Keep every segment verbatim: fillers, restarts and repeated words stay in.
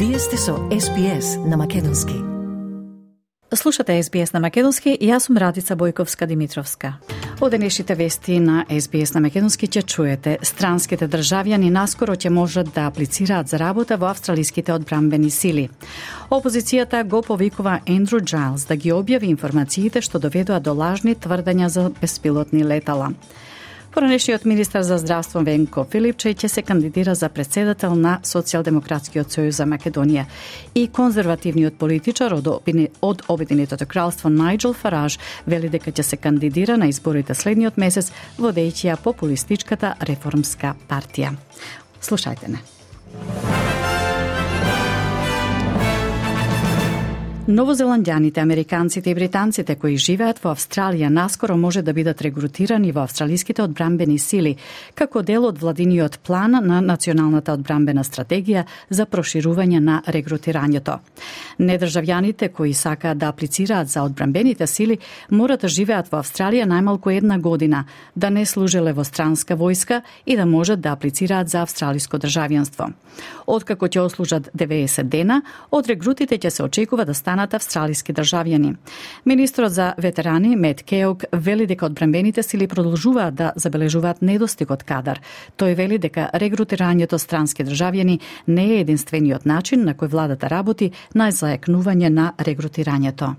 Вие сте со Ес Би Ес на Македонски. Слушате Ес Би Ес на Македонски и јас сум Радица Бојковска-Димитровска. Од денешните вести на Ес Би Ес на Македонски ќе чуете: странските државјани наскоро ќе можат да аплицираат за работа во австралиските одбранбени сили. Опозицијата го повикува Ендрю Џајлс да ги објави информациите што доведоа до лажни тврдења за беспилотни летала. Поранешниот министар за здравство Венко Филипчеј ќе се кандидира за претседател на Социјалдемократскиот сојуз за Македонија и конзервативниот политичар од, од Обединетото кралство Најџел Фараж вели дека ќе се кандидира на изборите следниот месец, водејќи ја популистичката реформска партија. Слушајте не. Новозеландјаните, американците и британците кои живеат во Австралија наскоро може да бидат регрутирани во австралиските одбранбени сили како дел од владиниот план на Националната одбранбена стратегија за проширување на регрутирањето. Недржавјаните кои сакаат да аплицираат за одбранбените сили мора да живеат во Австралија најмалку една година, да не служеле во странска војска и да можат да аплицираат за австралиско државјанство. Откако ќе ослужат деветдесет дена, од регрутите ќе се очекува да станат австралиски државјани. Министрот за ветерани Мет Кеок вели дека одбранбените сили продолжуваат да забележуваат недостиг од кадар. Тој вели дека регрутирањето странски државјани не е единствениот начин на кој владата работи на зајакнување на регрутирањето.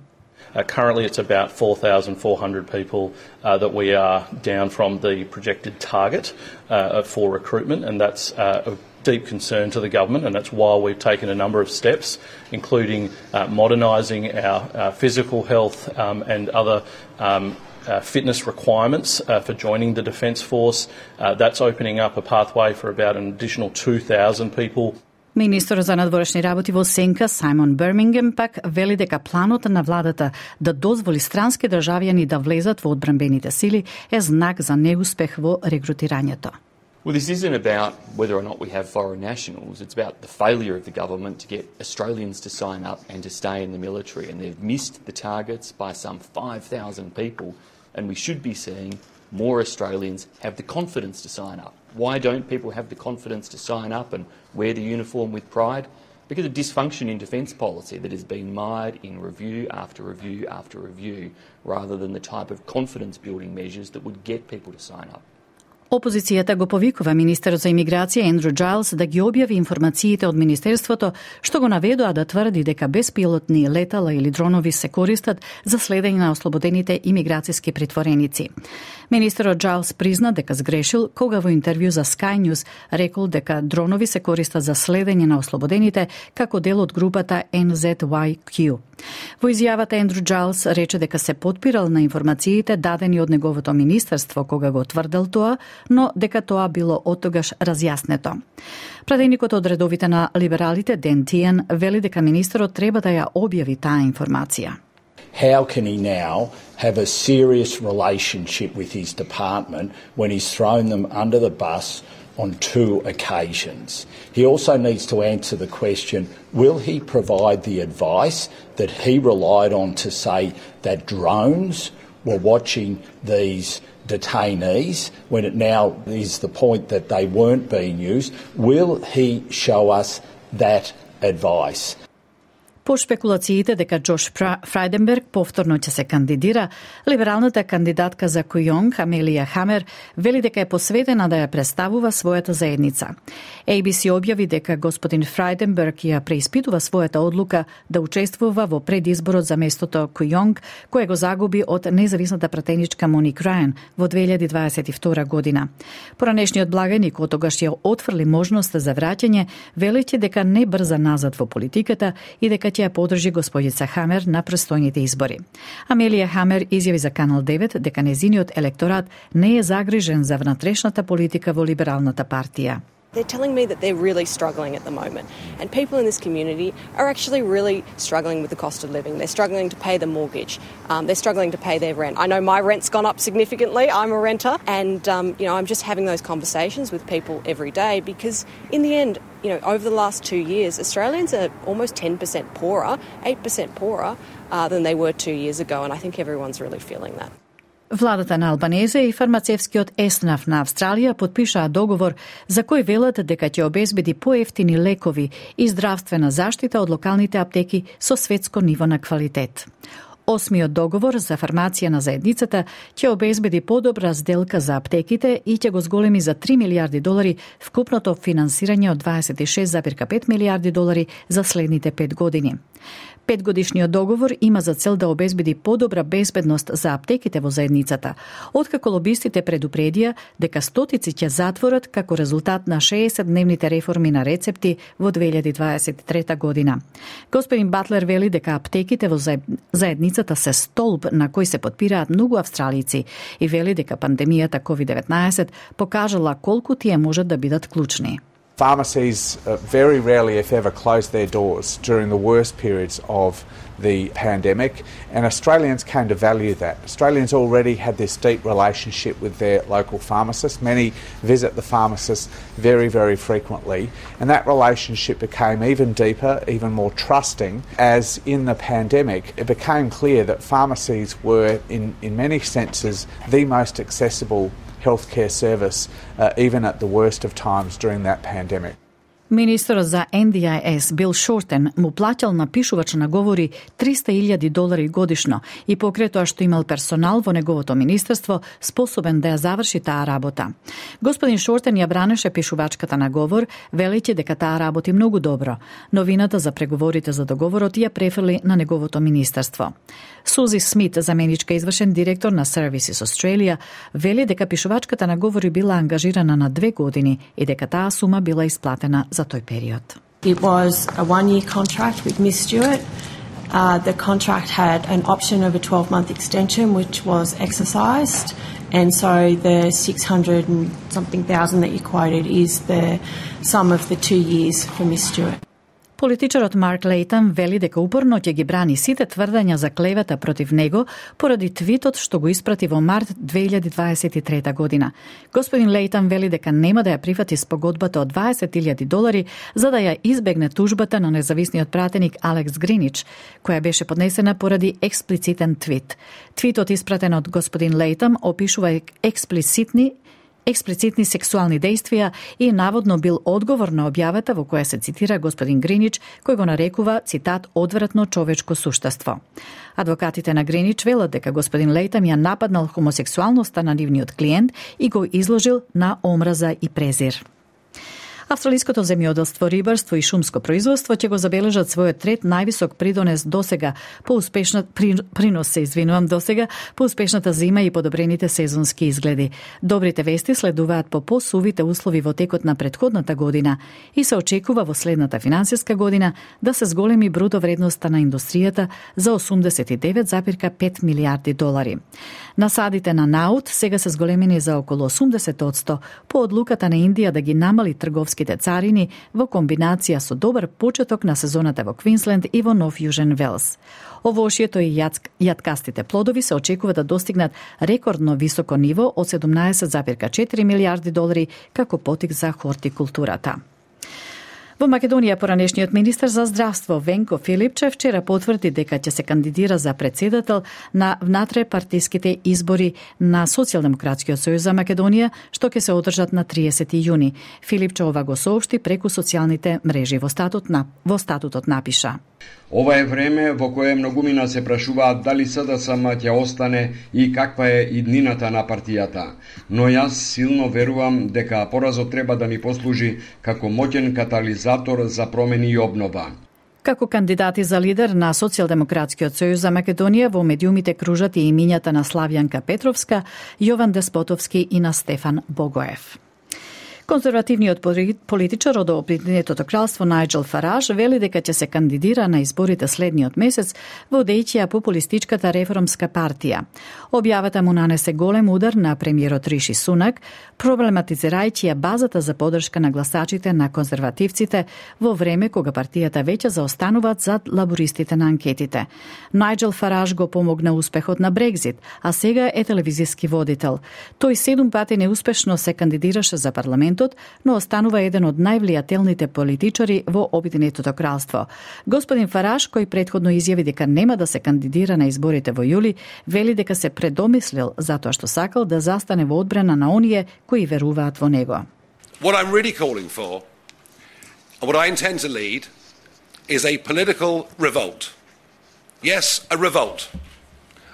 Uh, currently it's about four thousand four hundred people uh, that we are down from the projected target uh, for recruitment, and that's uh, a deep concern to the government, and that's why we've taken a number of steps, including uh, modernising our uh, physical health um, and other um, uh, fitness requirements uh, for joining the Defence Force. Uh, that's opening up a pathway for about an additional two thousand people. Министерот за надворешни работи во Сенка Сајмон Бирмингем пак вели дека планот на владата да дозволи странски државјани да влезат во одбранбените сили е знак за неуспех во регрутирањето. Well, this isn't about whether or not we have foreign nationals. It's about the failure of the government to get Australians to sign up and to stay in the military. And they've missed the targets by some five thousand people. And we should be seeing more Australians have the confidence to sign up. Why don't people have the confidence to sign up and wear the uniform with pride? Because of dysfunction in defence policy that has been mired in review after review after review, rather than the type of confidence-building measures that would get people to sign up. Опозицијата го повикува министерот за имиграција Ендрю Џајлс да ги објави информациите од министерството што го наведоа да тврди дека беспилотни летала или дронови се користат за следење на ослободените имиграцијски притвореници. Министерот Џајлс призна дека сгрешил кога во интервју за Sky News рекол дека дронови се користат за следење на ослободените како дел од групата Ен Зет Уај Кју. Во изјавата Ендрю Џајлс рече дека се потпирал на информациите дадени од неговото министерство кога го тврдел тоа, но дека тоа било оттогаш разјаснето. Пратеникот од редовите на либералите Ден Тиен вели дека министерот треба да ја објави таа информација. How can he now have a serious relationship with his department when he's thrown them under the bus on two occasions? He also needs to answer the question, will he provide the advice that he relied on to say that drones were watching these detainees when it now is the point that they weren't being used? Will he show us that advice? По шпекулациите дека Џош Фрајденберг повторно ќе се кандидира, либералната кандидатка за Кујонг, Амелија Хамер, вели дека е посветена да ја представува својата заедница. Ей Би Си објави дека господин Фрајденберг ја преиспитува својата одлука да учествува во предизборот за местото Кујонг, кој го загуби од независната пратеничка Моник Рајан во две илјади дваесет и втора година. Поранешниот благајник отогаш ја отфрли можноста за враќање, велејќи дека не брза назад во политиката и дека ќе ја подржи господица Хамер на престојните избори. Амелија Хамер изјави за Канал девет дека незиниот електорат не е загрижен за внатрешната политика во либералната партија. They're telling me that they're really struggling at the moment. And people in this community are actually really struggling with the cost of living. They're struggling to pay the mortgage. Um, they're struggling to pay their rent. I know my rent's gone up significantly. I'm a renter. And, um, you know, I'm just having those conversations with people every day because in the end, you know, over the last two years, Australians are almost ten percent poorer, eight percent poorer uh, than they were two years ago. And I think everyone's really feeling that. Владата на Албанеза и фармацевскиот еснаф на Австралија потпишаа договор за кој велат дека ќе обезбеди поевтини лекови и здравствена заштита од локалните аптеки со светско ниво на квалитет. Осмиот договор за фармација на заедницата ќе обезбеди подобра сделка за аптеките и ќе го зголеми за три милиарди долари вкупното финансирање од дваесет и шест зарем пет милиарди долари за следните пет години. Петгодишниот договор има за цел да обезбеди подобра безбедност за аптеките во заедницата, откако лобистите предупредија дека стотици ќе затворат како резултат на шеесетдневните реформи на рецепти во две илјади дваесет и трета година. Господин Батлер вели дека аптеките во заедницата се столб на кој се подпираат многу австралици и вели дека пандемијата ковид деветнаесет покажала колку тие можат да бидат клучни. Pharmacies uh, very rarely, if ever, close their doors during the worst periods of the pandemic, and Australians came to value that. Australians already had this deep relationship with their local pharmacists. Many visit the pharmacist very, very frequently, and that relationship became even deeper, even more trusting, as in the pandemic it became clear that pharmacies were, in, in many senses, the most accessible healthcare service, uh, even at the worst of times during that pandemic. Министерот за Ен Ди Ай Ес Бил Шортен му плаќал на пишувач на говори триста илјади долари годишно и покрај тоа што имал персонал во неговото министерство способен да ја заврши таа работа. Господин Шортен ја бранеше пишувачката на говор, велејќи дека таа работи многу добро. Новината за преговорите за договорот ја префрли на неговото министерство. Сузи Смит, заменичка извршен директор на Services Australia, вели дека пишувачката на говори била ангажирана на две години и дека таа сума била исплатена за тој период. It was a one-year contract with Miss Stewart. Uh, the contract had an option of a twelve-month extension, which was exercised, and so the six hundred and something thousand that you quoted is the sum of the two years for Miss Stewart. Политичарот Марк Лейтон вели дека упорно ќе ги брани сите тврдења за клевета против него поради твитот што го испрати во март две илјади дваесет и трета година. Господин Лейтон вели дека нема да ја прифати спогодбата од дваесет илјади долари за да ја избегне тужбата на независниот пратеник Алекс Гринич, која беше поднесена поради експлицитен твит. Твитот испратен од господин Лейтон опишува експлицитни експлицитни сексуални дејствија и наводно бил одговор на објавата во која се цитира господин Гринич, кој го нарекува, цитат, одвратно човечко суштество. Адвокатите на Гринич велат дека господин Лейтон ја нападнал хомосексуалноста на нивниот клиент и го изложил на омраза и презир. Австралиското земјоделство, рибарство и шумско производство ќе го забележат својот трет највисок придонес досега по успешна при, принос се извинувам досега по успешната зима и подобрените сезонски изгледи. Добрите вести следуваат по посувите услови во текот на претходната година и се очекува во следната финансиска година да се зголеми бруто вредноста на индустријата за осумдесет и девет зарем пет милијарди долари. Насадите на наут сега се зголемени за околу осумдесет одсто по одлуката на Индија да ги намали трговски царини во комбинација со добар почеток на сезоната во Квинсленд и во Нов Јужен Велс. Овошјето и јаткастите плодови се очекува да достигнат рекордно високо ниво од седумнаесет зарем четири милијарди долари како потик за хортикултурата. Во Македонија поранешниот министер за здравство Венко Филипчев вчера потврди дека ќе се кандидира за претседател на внатре-партиските избори на Социјалдемократскиот сојуз за Македонија, што ќе се одржат на триесети јуни. Филипчев ова го соопшти преку социјалните мрежи. Во статут на во статутот напиша: Ова е време во кое многумина се прашуваат дали С Д С М ќе остане и каква е иднината на партијата. Но јас силно верувам дека поразот треба да ни послужи како моќен катализатор за промени и обнова. Како кандидати за лидер на Социјалдемократскиот сојуз за Македонија во медиумите кружат и имињата на Славјанка Петровска, Јован Деспотовски и на Стефан Богоев. Конзервативниот политичар од Обединетото кралство Најџел Фараж вели дека ќе се кандидира на изборите следниот месец водејќи ја популистичката реформска партија. Објавата му нанесе голем удар на премиерот Риши Сунак, проблематизирајќи ја базата за поддршка на гласачите на конзервативците во време кога партијата веќе заостануваат зад лабористите на анкетите. Најџел Фараж го помогна успехот на Брекзит, а сега е телевизиски водител. Тој седум пати неуспешно се кандидираше за парламентот парламентот, но останува еден од највлијателните политичари во Обединетото кралство. Господин Фараш, кој претходно изјави дека нема да се кандидира на изборите во јули, вели дека се предомислил затоа што сакал да застане во одбрана на оние кои веруваат во него. What I'm really calling for, and what I intend to lead, is a political revolt. Yes, a revolt.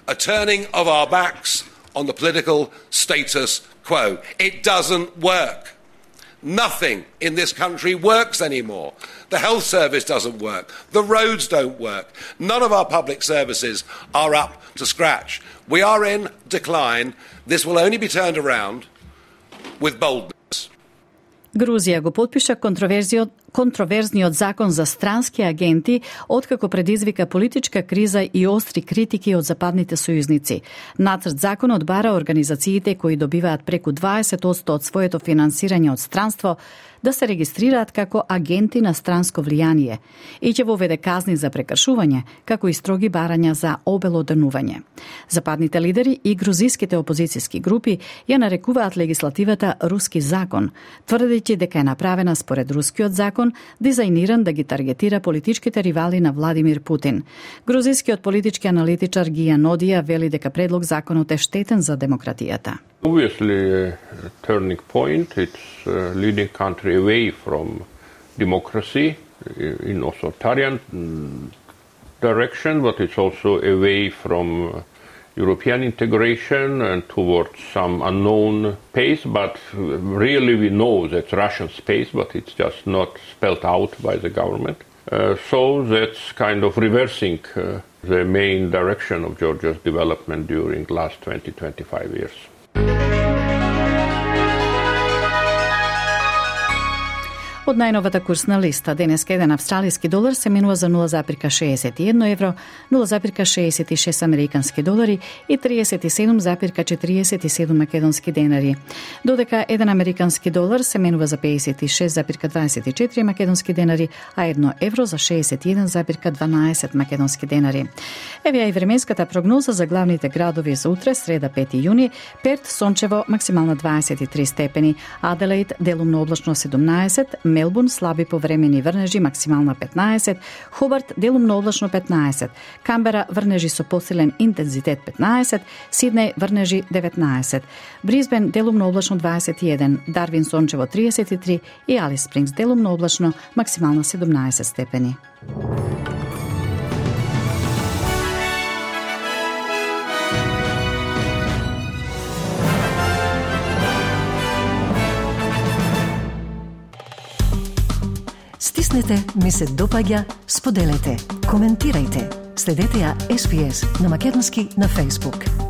A turning of our backs on the political status quo. It doesn't work. Nothing in this country works anymore. The health service doesn't work. The roads don't work. None of our public services are up to scratch. We are in decline. This will only be turned around with boldness. Грузија го потпиша контроверзиот контроверзниот закон за странски агенти, откако предизвика политичка криза и остри критики од западните сојузници. Нацрт законот бара организациите кои добиваат преку дваесет одсто од своето финансирање од странство да се регистрираат како агенти на странско влијание и ќе воведе казни за прекршување, како и строги барања за обелоденување. Западните лидери и грузиските опозицијски групи ја нарекуваат легислативата руски закон, тврдејќи дека е направена според рускиот закон, дизајниран да ги таргетира политичките ривали на Владимир Путин. Грузискиот политички аналитичар Гија Нодија вели дека предлог законот е штетен за демократијата. Obviously, a turning point. It's a leading country away from democracy in authoritarian direction, but it's also away from European integration and towards some unknown pace. But really, we know that's Russian space, but it's just not spelled out by the government. Uh, so that's kind of reversing uh, the main direction of Georgia's development during the last twenty to twenty-five years. Од најновата курсна листа, денеска еден австралиски долар се менува за нула запирка шеесет и едно евро, нула запирка шеесет и шест американски долари и триесет и седум запирка четириесет и седум македонски денари. Додека еден американски долар се менува за пеесет и шест запирка дваесет и четири македонски денари, а едно евро за шеесет и еден запирка дванаесет македонски денари. Еве и временската прогноза за главните градови за утре, среда пети јуни: Перт сончево, максимална дваесет и три степени, Аделаид делумно облачно седумнаесет, Мелбурн слаби повремени врнежи, максимална петнаесет, Хобарт делумно облачно петнаесет, Камбера врнежи со посилен интензитет петнаесет, Сиднеј врнежи деветнаесет, Брисбен делумно облачно дваесет и еден, Дарвин сончево триесет и три и Алис Спрингс делумно облачно, максимална седумнаесет степени. Стиснете, ми се допаѓа, споделете, коментирајте. Следете ја Ес Би Ес на македонски на Facebook.